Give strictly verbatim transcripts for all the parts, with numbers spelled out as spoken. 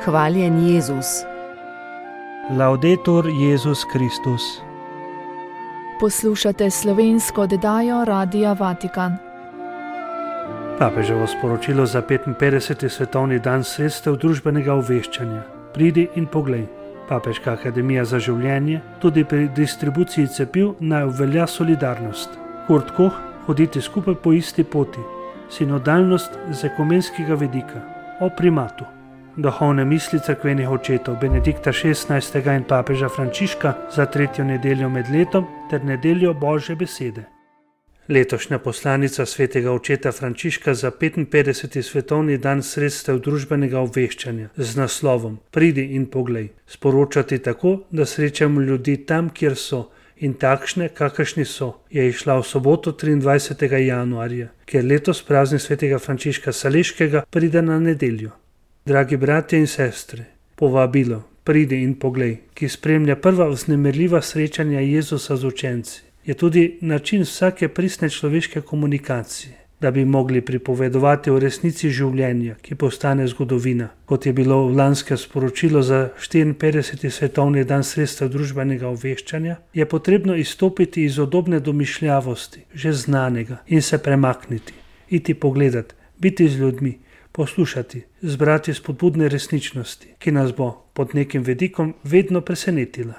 Hvaljen Jezus. Laudetur Jezus Kristus. Poslušate slovensko oddajo Radia Vatikan. Papeževo sporočilo za petinpetdeseti svetovni dan sredstev družbenega obveščanja. Pridi in poglej. Papeška akademija za življenje tudi pri distribuciji cepiv naj obvelja solidarnost. Kurt Koch, hoditi skupaj po isti poti. Sinodalnost z ekumenskega vidika. O primatu. Duhovne misli cerkvenih očetov Benedikta šestnajstega in papeža Frančiška za tretjo nedeljo med letom ter nedeljo Božje besede. Letošnja poslanica svetega očeta Frančiška za petinpetdeseti svetovni dan sredstev družbenega obveščanja z naslovom Pridi in poglej. Sporočati tako, da srečamo ljudi tam, kjer so in takšne, kakršni so, je išla v soboto triindvajsetega januarja, ker letos praznik svetega Frančiška Saleškega pride na nedeljo. Dragi bratje in sestre, povabilo Pridi in poglej, ki spremlja prva vznemirljiva srečanja Jezusa z učenci, je tudi način vsake pristne človeške komunikacije, da bi mogli pripovedovati o resnici življenja, ki postane zgodovina. Kot je bilo v lanskem sporočilu za štiriinpetdeseti svetovni dan sredstev družbenega obveščanja, je potrebno izstopiti iz udobne domišljavosti, že znanega, in se premakniti, iti pogledati, biti z ljudmi, poslušati, zbrati spodbudne resničnosti, ki nas bo pod nekim vidikom vedno presenetila.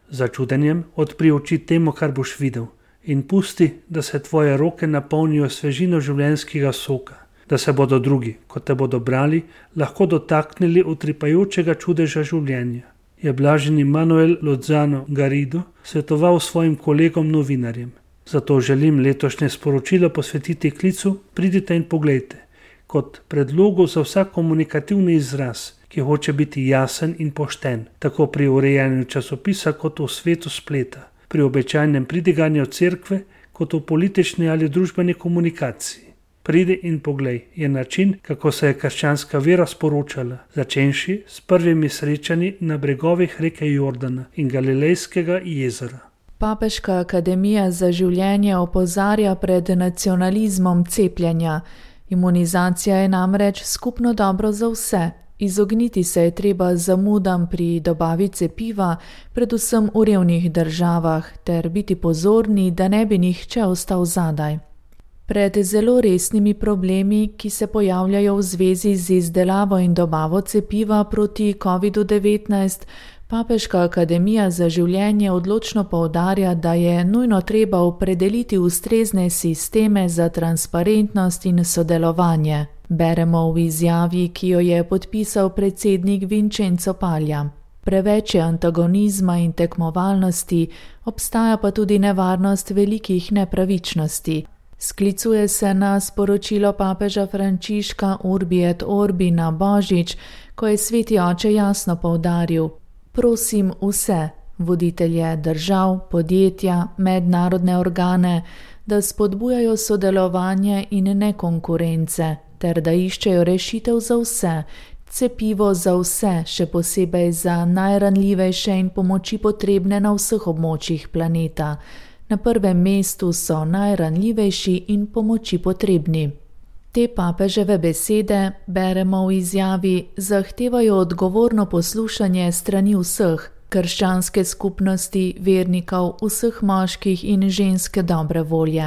Začudenjem odpri oči temu, kar boš videl, in pusti, da se tvoje roke napolnijo svežino življenjskega soka, da se bodo drugi, ko te bodo brali, lahko dotaknili utripajočega čudeža življenja. Je blaženi Manuel Lozano Garrido svetoval svojim kolegom novinarjem. Zato želim letošnje sporočilo posvetiti klicu Pridite in poglejte, kot predlogu za vsak komunikativni izraz, ki hoče biti jasen in pošten, tako pri urejanju časopisa kot v svetu spleta, pri običajnem pridiganju cerkve kot v politični ali družbeni komunikaciji. Pridi in poglej je način, kako se je krščanska vera sporočala, začenši s prvimi srečanji na bregovih reke Jordana in Galilejskega jezera. Papeška akademija za življenje opozarja pred nacionalizmom cepljenja. Imunizacija je namreč skupno dobro za vse. Izogniti se je treba zamudam pri dobavi cepiva, predvsem v revnih državah, ter biti pozorni, da ne bi nihče ostal zadaj. Pred zelo resnimi problemi, ki se pojavljajo v zvezi z izdelavo in dobavo cepiva proti kovidu devetnajst, Papeška akademija za življenje odločno poudarja, da je nujno treba opredeliti ustrezne sisteme za transparentnost in sodelovanje. Beremo v izjavi, ki jo je podpisal predsednik Vincenzo Paglia. Preveč je antagonizma in tekmovalnosti, obstaja pa tudi nevarnost velikih nepravičnosti. Sklicuje se na sporočilo papeža Frančiška Urbi et Orbi na Božič, ko je sveti oče jasno poudaril: prosim vse, voditelje držav, podjetja, mednarodne organe, da spodbujajo sodelovanje in ne konkurence, ter da iščejo rešitev za vse, cepivo za vse, še posebej za najranljivejše in pomoči potrebne na vseh območjih planeta. Na prvem mestu so najranljivejši in pomoči potrebni. Te papeževe besede, beremo v izjavi, zahtevajo odgovorno poslušanje strani vseh, krščanske skupnosti, vernikov, vseh moških in ženske dobre volje.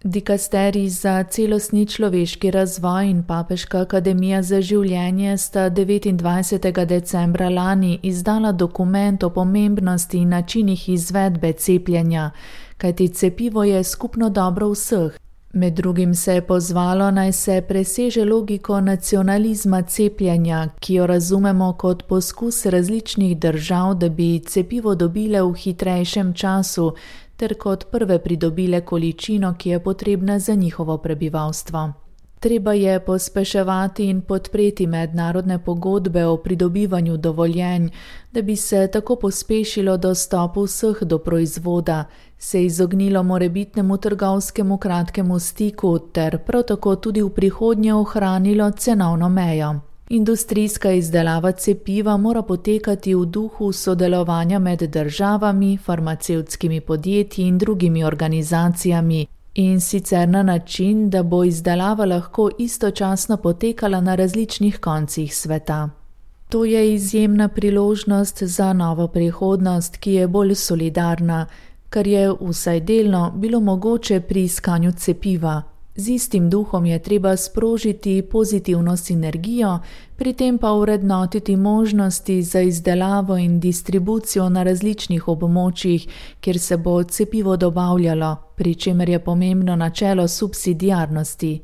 Dikasterij za celostni človeški razvoj in Papeška akademija za življenje sta devetindvajsetega decembra lani izdala dokument o pomembnosti in načinih izvedbe cepljenja, kajti cepivo je skupno dobro vseh. Med drugim se je pozvalo, naj se preseže logiko nacionalizma cepljenja, ki jo razumemo kot poskus različnih držav, da bi cepivo dobile v hitrejšem času, ter kot prve pridobile količino, ki je potrebna za njihovo prebivalstvo. Treba je pospeševati in podpreti mednarodne pogodbe o pridobivanju dovoljenj, da bi se tako pospešilo dostop vseh do proizvoda, se izognilo morebitnemu trgovskemu kratkemu stiku ter prav tako tudi v prihodnje ohranilo cenovno mejo. Industrijska izdelava cepiva mora potekati v duhu sodelovanja med državami, farmacevtskimi podjetji in drugimi organizacijami, in sicer na način, da bo izdelava lahko istočasno potekala na različnih koncih sveta. To je izjemna priložnost za novo prihodnost, ki je bolj solidarna, kar je vsaj delno bilo mogoče pri iskanju cepiva. Z istim duhom je treba sprožiti pozitivno sinergijo, pri tem pa urednotiti možnosti za izdelavo in distribucijo na različnih območjih, kjer se bo cepivo dobavljalo, pri čemer je pomembno načelo subsidiarnosti.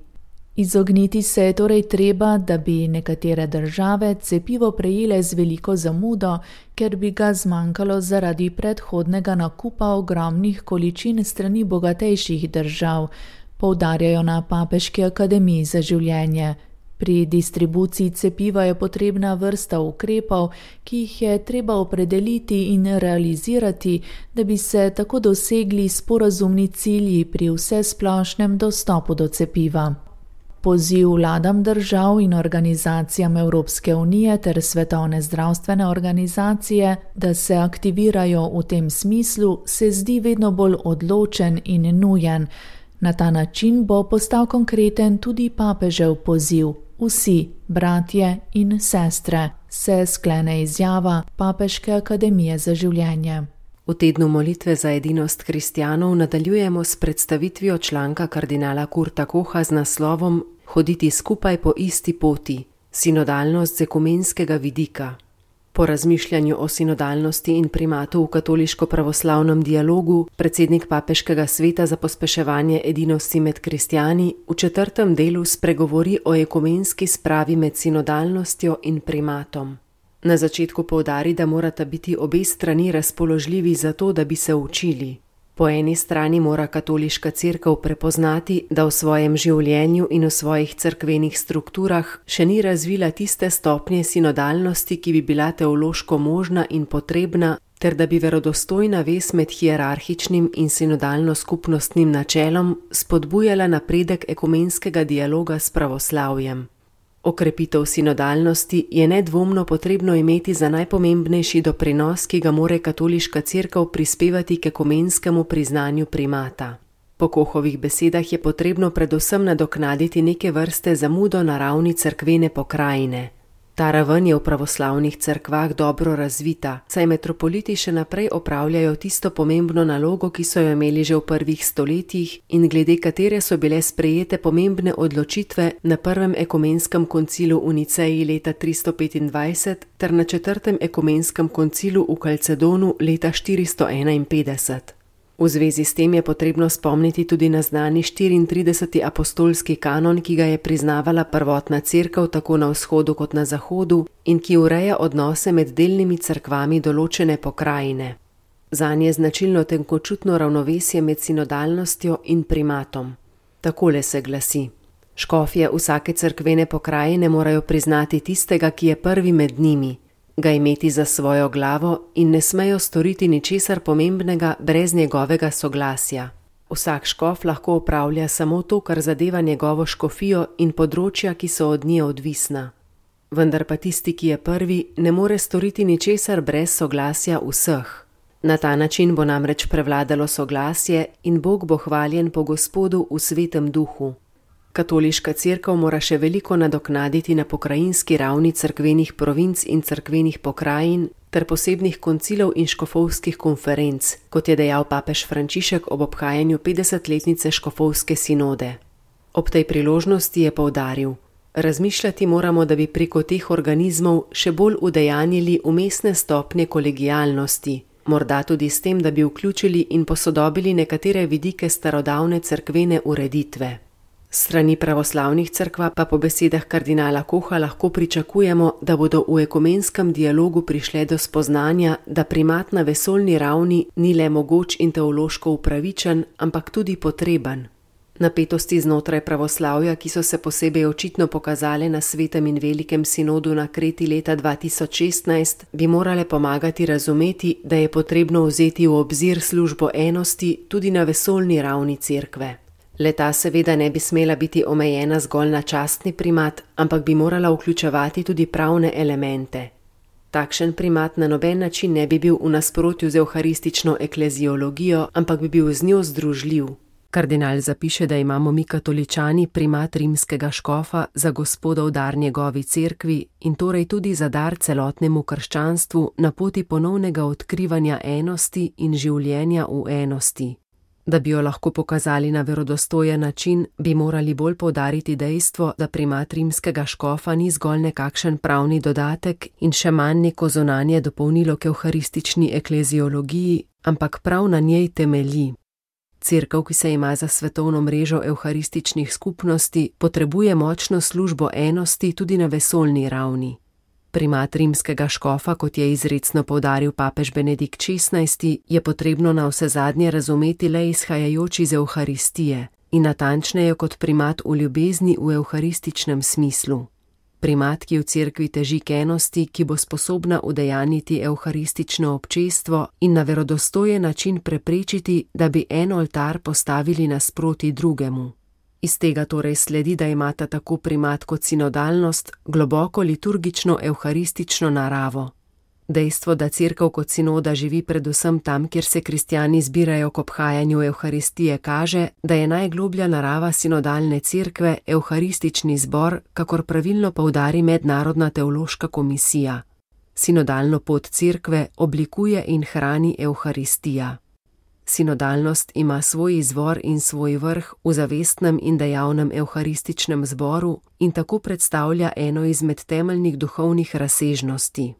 Izogniti se je torej treba, da bi nekatere države cepivo prejele z veliko zamudo, ker bi ga zmanjkalo zaradi predhodnega nakupa ogromnih količin strani bogatejših držav, poudarjajo na Papeški akademiji za življenje. Pri distribuciji cepiva je potrebna vrsta ukrepov, ki jih je treba opredeliti in realizirati, da bi se tako dosegli sporazumni cilji pri vsesplošnem dostopu do cepiva. Poziv vladam držav in organizacijam Evropske unije ter Svetovne zdravstvene organizacije, da se aktivirajo v tem smislu, se zdi vedno bolj odločen in nujen. Na ta način bo postal konkreten tudi papežev poziv. Vsi, bratje in sestre, se sklene izjava Papeške akademije za življenje. V tednu molitve za edinost kristjanov nadaljujemo s predstavitvijo članka kardinala Kurta Koha z naslovom Hoditi skupaj po isti poti, sinodalnost z ekumenskega vidika. Po razmišljanju o sinodalnosti in primatu v katoliško-pravoslavnem dialogu predsednik Papeškega sveta za pospeševanje edinosti med kristjani v četrtem delu spregovori o ekumenski spravi med sinodalnostjo in primatom. Na začetku poudari, da morata biti obe strani razpoložljivi za to, da bi se učili. Po eni strani mora katoliška cerkev prepoznati, da v svojem življenju in v svojih cerkvenih strukturah še ni razvila tiste stopnje sinodalnosti, ki bi bila teološko možna in potrebna, ter da bi verodostojna vez med hierarhičnim in sinodalno skupnostnim načelom spodbujala napredek ekumenskega dialoga s pravoslavjem. Okrepitev sinodalnosti je nedvomno potrebno imeti za najpomembnejši doprinos, ki ga more katoliška cerkev prispevati k ekumenskemu priznanju primata. Po Kohovih besedah je potrebno predvsem nadoknaditi neke vrste zamudo na ravni cerkvene pokrajine. Ta raven je v pravoslavnih cerkvah dobro razvita, saj metropoliti še naprej opravljajo tisto pomembno nalogo, ki so jo imeli že v prvih stoletjih in glede katere so bile sprejete pomembne odločitve na prvem ekumenskem koncilu v Niceji leta tristo petindvajset ter na četrtem ekumenskem koncilu v Kalcedonu leta štiristo enainpetdeset. V zvezi s tem je potrebno spomniti tudi na znani štiriintrideseti apostolski kanon, ki ga je priznavala prvotna cerkev tako na vzhodu kot na zahodu in ki ureja odnose med delnimi cerkvami določene pokrajine. Zanje je značilno tenkočutno ravnovesje med sinodalnostjo in primatom. Takole se glasi: škofje vsake cerkvene pokrajine morajo priznati tistega, ki je prvi med njimi, ga imeti za svojo glavo in ne smejo storiti ničesar pomembnega brez njegovega soglasja. Vsak škof lahko opravlja samo to, kar zadeva njegovo škofijo in področja, ki so od nje odvisna. Vendar pa tisti, ki je prvi, ne more storiti ničesar brez soglasja vseh. Na ta način bo namreč prevladalo soglasje in Bog bo hvaljen po Gospodu v svetem duhu. Katoliška cerkev mora še veliko nadoknaditi na pokrajinski ravni cerkvenih provinc in cerkvenih pokrajin ter posebnih koncilov in škofovskih konferenc, kot je dejal papež Frančišek ob obhajanju petdesetletnice škofovske sinode. Ob tej priložnosti je poudaril: razmišljati moramo, da bi preko teh organizmov še bolj udejanjili umestne stopnje kolegialnosti, morda tudi s tem, da bi vključili in posodobili nekatere vidike starodavne cerkvene ureditve. Strani pravoslavnih cerkva pa po besedah kardinala Koha lahko pričakujemo, da bodo v ekumenskem dialogu prišle do spoznanja, da primat na vesoljni ravni ni le mogoč in teološko upravičen, ampak tudi potreben. Napetosti znotraj pravoslavja, ki so se posebej očitno pokazale na svetem in velikem sinodu na Kreti leta dva tisoč šestnajst, bi morale pomagati razumeti, da je potrebno vzeti v obzir službo enosti tudi na vesoljni ravni cerkve. Leta seveda ne bi smela biti omejena zgolj na častni primat, ampak bi morala vključevati tudi pravne elemente. Takšen primat na noben način ne bi bil v nasprotju z evharistično ekleziologijo, ampak bi bil z njo združljiv. Kardinal zapiše, da imamo mi katoličani primat rimskega škofa za gospodov dar njegovi cerkvi in torej tudi za dar celotnemu krščanstvu na poti ponovnega odkrivanja enosti in življenja v enosti. Da bi jo lahko pokazali na verodostojen način, bi morali bolj poudariti dejstvo, da primat rimskega škofa ni zgolj nekakšen pravni dodatek in še manj neko zunanje dopolnilo k evharistični ekleziologiji, ampak prav na njej temelji. Cerkev, ki se ima za svetovno mrežo evharističnih skupnosti, potrebuje močno službo enosti tudi na vesoljni ravni. Primat rimskega škofa, kot je izrecno poudaril papež Benedikt šestnajsti, je potrebno na vse zadnje razumeti le izhajajoč iz evharistije in natančneje kot primat v ljubezni v evharističnem smislu. Primat, ki v cerkvi teži k enosti, ki bo sposobna udejaniti evharistično občestvo in na verodostojen način preprečiti, da bi en oltar postavili nasproti drugemu. Iz tega torej sledi, da imata tako primat kot sinodalnost globoko liturgično evharistično naravo. Dejstvo, da cerkev kot sinoda živi predvsem tam, kjer se kristjani zbirajo k obhajanju evharistije, kaže, da je najgloblja narava sinodalne cerkve evharistični zbor, kakor pravilno poudari Mednarodna teološka komisija. Sinodalno pot cerkve oblikuje in hrani evharistija. Sinodalnost ima svoj izvor in svoj vrh v zavestnem in dejavnem evharističnem zboru in tako predstavlja eno izmed temeljnih duhovnih razsežnosti.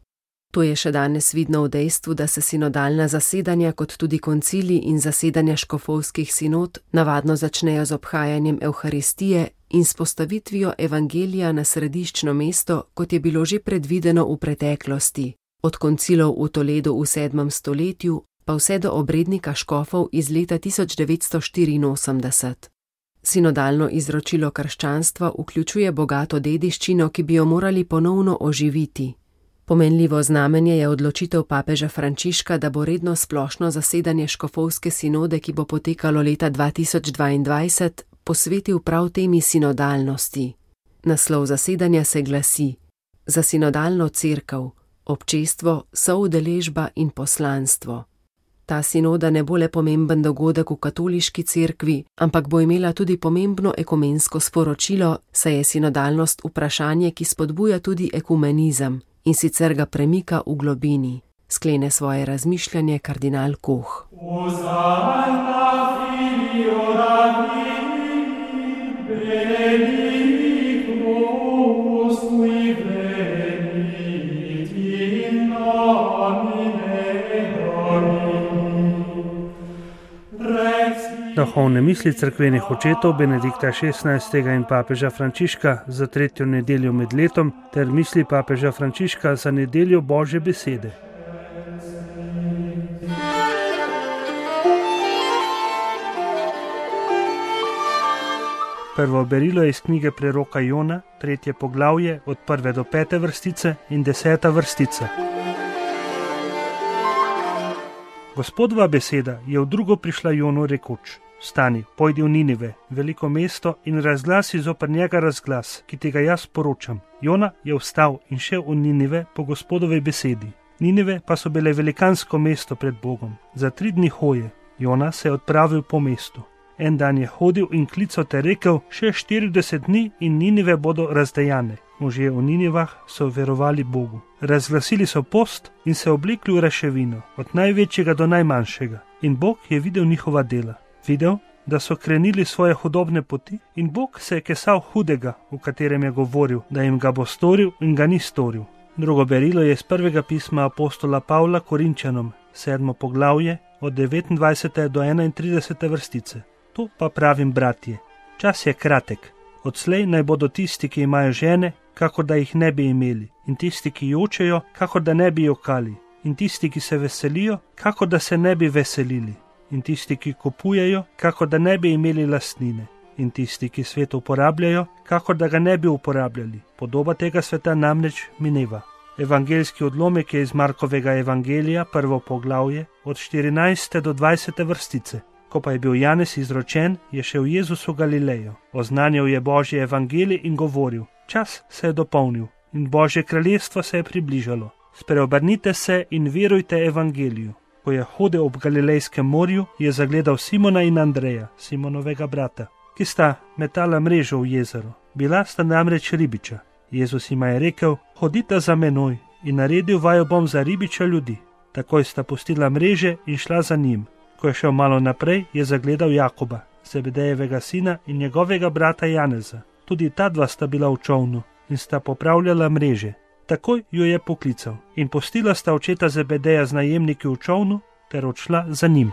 To je še danes vidno v dejstvu, da se sinodalna zasedanja kot tudi koncili in zasedanja škofovskih sinod navadno začnejo z obhajanjem evharistije in s postavitvijo evangelija na središčno mesto, kot je bilo že predvideno v preteklosti, od koncilov v Toledu v sedmem stoletju pa vse do obrednika škofov iz leta tisoč devetsto štiriinosemdeset. Sinodalno izročilo krščanstva vključuje bogato dediščino, ki bi jo morali ponovno oživiti. Pomenljivo znamenje je odločitev papeža Frančiška, da bo redno splošno zasedanje škofovske sinode, ki bo potekalo leta dva tisoč dvaindvajset, posvetil prav temi sinodalnosti. Naslov zasedanja se glasi: Za sinodalno cerkev, občestvo, soudeležba in poslanstvo. Ta sinoda ne bo le pomemben dogodek v katoliški cerkvi, ampak bo imela tudi pomembno ekumensko sporočilo, saj je sinodalnost vprašanje, ki spodbuja tudi ekumenizem in sicer ga premika v globini, sklene svoje razmišljanje kardinal Koh. Duhovne misli cerkvenih očetov Benedikta šestnajstega in papeža Frančiška za tretjo nedeljo med letom ter misli papeža Frančiška za nedeljo Božje besede. Prvo berilo je iz knjige preroka Jona, tretje poglavje od prve do pete vrstice in deseta vrstica. Gospodova beseda je v drugo prišla Jonu rekoč: Vstani, pojdi v Ninive, veliko mesto, in razglasi zoper njega razglas, ki tega jaz poročam. Jona je vstal in šel v Ninive po Gospodovi besedi. Ninive pa so bile velikansko mesto pred Bogom. Za tri dni hoje Jona se je odpravil po mestu. En dan je hodil in klical ter rekel: še štirideset dni in Ninive bodo razdejane. Možje v Ninivah so verovali Bogu. Razglasili so post in se oblekli v raševino, od največjega do najmanjšega. In Bog je videl njihova dela. Videl, da so krenili svoje hudobne poti, in Bog se je kesal hudega, v katerem je govoril, da jim ga bo storil in ga ni storil. Drugo berilo je iz prvega pisma apostola Pavla Korinčanom, sedmo poglavje, od devetindvajsete do enaintridesete vrstice. To pa pravim, bratje, čas je kratek. Odslej naj bodo tisti, ki imajo žene, kakor da jih ne bi imeli, in tisti, ki jočejo, kakor da ne bi jokali, in tisti, ki se veselijo, kakor da se ne bi veselili, in tisti, ki kupujejo, kakor da ne bi imeli lastnine, in tisti, ki svet uporabljajo, kakor da ga ne bi uporabljali. Podoba tega sveta namreč mineva. Evangeljski odlomek je iz Markovega evangelija, prvo poglavje, od štirinajste do dvajsete vrstice. Ko pa je bil Janez izročen, je šel Jezus v Galilejo. Oznanjal je Božje evangelij in govoril: Čas se je dopolnil in Božje kraljestvo se je približalo. Spreobrnite se in verujte evangeliju. Ko je hodil ob Galilejskem morju, je zagledal Simona in Andreja, Simonovega brata, ki sta metala mrežo v jezero. Bila sta namreč ribiča. Jezus jima je rekel: hodita za menoj, in naredil vaju bom za ribiča ljudi. Takoj sta pustila mreže in šla za njim. Ko je šel malo naprej, je zagledal Jakoba, Zebedejevega sina, in njegovega brata Janeza. Tudi ta dva sta bila v čolnu in sta popravljala mreže. Takoj jo je poklical in pustila sta očeta Zebedeja z najemniki v čolnu ter odšla za njim.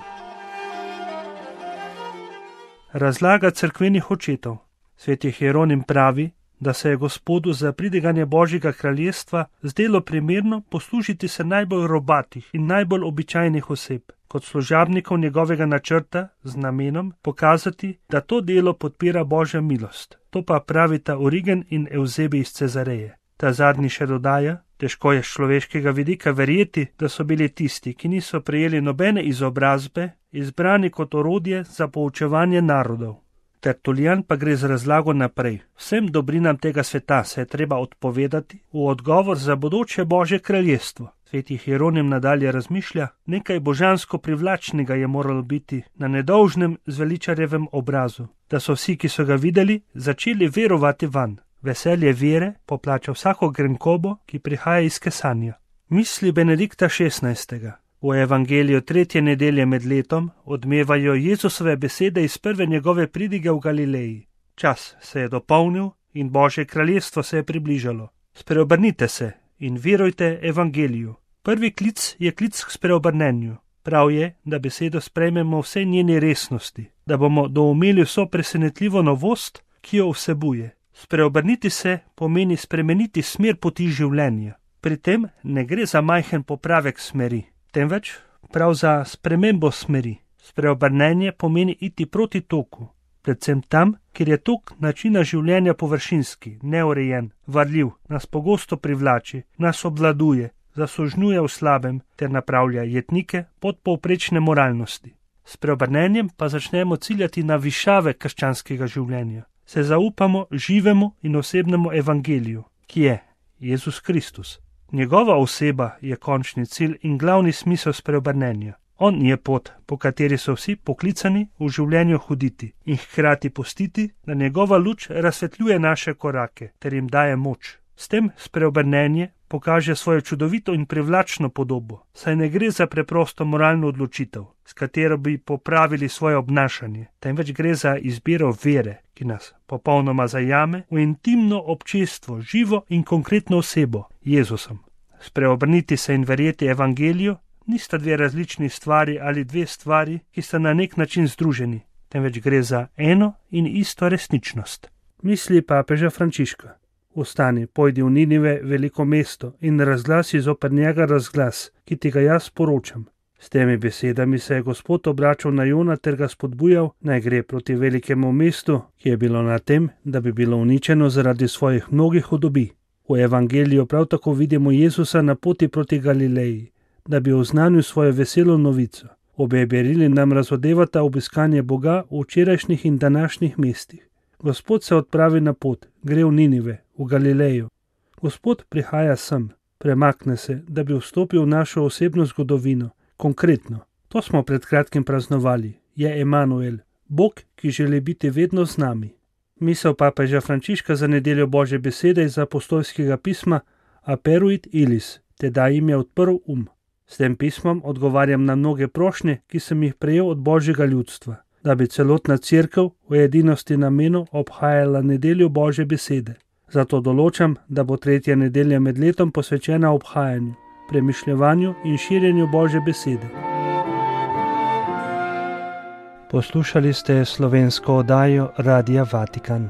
Razlaga cerkvenih očetov. Sveti Hieronim pravi, da se je Gospodu za pridiganje Božjega kraljestva zdelo primerno poslužiti se najbolj robatih in najbolj običajnih oseb kot služabnikov njegovega načrta z namenom pokazati, da to delo podpira Božja milost. To pa pravita Origen in Evzebi iz Cezareje. Ta zadnji še dodaja: težko je z človeškega vidika verjeti, da so bili tisti, ki niso prejeli nobene izobrazbe, izbrani kot orodje za poučevanje narodov. Tertulijan pa gre z razlago naprej. Vsem dobrinam tega sveta se je treba odpovedati v odgovor za bodoče Božje kraljestvo. Sveti Hieronim nadalje razmišlja: nekaj božansko privlačnega je moralo biti na nedolžnem zveličarjevem obrazu, da so vsi, ki so ga videli, začeli verovati vanj. Veselje vere poplača vsako grenkobo, ki prihaja iz kesanja. Misli Benedikta šestnajstega. V evangeliju tretje nedelje med letom odmevajo Jezusove besede iz prve njegove pridige v Galileji. Čas se je dopolnil in Božje kraljestvo se je približalo. Spreobrnite se in verujte evangeliju. Prvi klic je klic k spreobrnenju. Prav je, da besedo sprejmemo vse njeni resnosti, da bomo doumeli vso presenetljivo novost, ki jo vsebuje. Spreobrniti se pomeni spremeniti smer poti življenja. Pri tem ne gre za majhen popravek smeri, temveč prav za spremembo smeri. Spreobrnenje pomeni iti proti toku, predvsem tam, kjer je tok načina življenja površinski, neurejen, varljiv, nas pogosto privlači, nas obvladuje, zasužnjuje v slabem ter napravlja jetnike podpovprečne moralnosti. S preobrnenjem pa začnemo ciljati na višave krščanskega življenja. Se zaupamo živemu in osebnemu evangeliju, ki je Jezus Kristus. Njegova oseba je končni cilj in glavni smisel spreobrnenja. On je pot, po kateri so vsi poklicani v življenju hoditi in hkrati pustiti, da njegova luč razsvetljuje naše korake ter jim daje moč. S tem spreobrnenje pokaže svojo čudovito in privlačno podobo, saj ne gre za preprosto moralno odločitev, s katero bi popravili svoje obnašanje, temveč gre za izbiro vere, ki nas popolnoma zajame v intimno občestvo, živo in konkretno osebo, Jezusom. Spreobrniti se in verjeti evangeliju nista dve različni stvari ali dve stvari, ki sta na nek način združeni, temveč gre za eno in isto resničnost. Misli papeža Frančiška. Vstani, pojdi v Ninive, veliko mesto, in razglasi zoper njega razglas, ki ti ga jaz poročam. S temi besedami se je Gospod obračal na Jona ter ga spodbujal, naj gre proti velikemu mestu, ki je bilo na tem, da bi bilo uničeno zaradi svojih mnogih hudobi. V evangeliju prav tako vidimo Jezusa na poti proti Galileji, da bi oznanil svojo veselo novico. Obe berili nam razodevata obiskanje Boga v včerajšnjih in današnjih mestih. Gospod se odpravi na pot, gre v Ninive, v Galilejo. Gospod prihaja sem, premakne se, da bi vstopil v našo osebno zgodovino, konkretno. To smo pred kratkim praznovali, je Emanuel, Bog, ki želi biti vedno z nami. Misel papeža Frančiška za nedeljo Božje besede iz apostolskega pisma Aperuit Ilis, tedaj jim je odprl um. S tem pismom odgovarjam na mnoge prošnje, ki sem jih prejel od Božjega ljudstva, da bi celotna cerkev v edinosti namenu obhajala nedeljo Božje besede. Zato določam, da bo tretja nedelja med letom posvečena obhajanju, premišljevanju in širjenju Božje besede. Poslušali ste slovensko oddajo Radia Vatikan.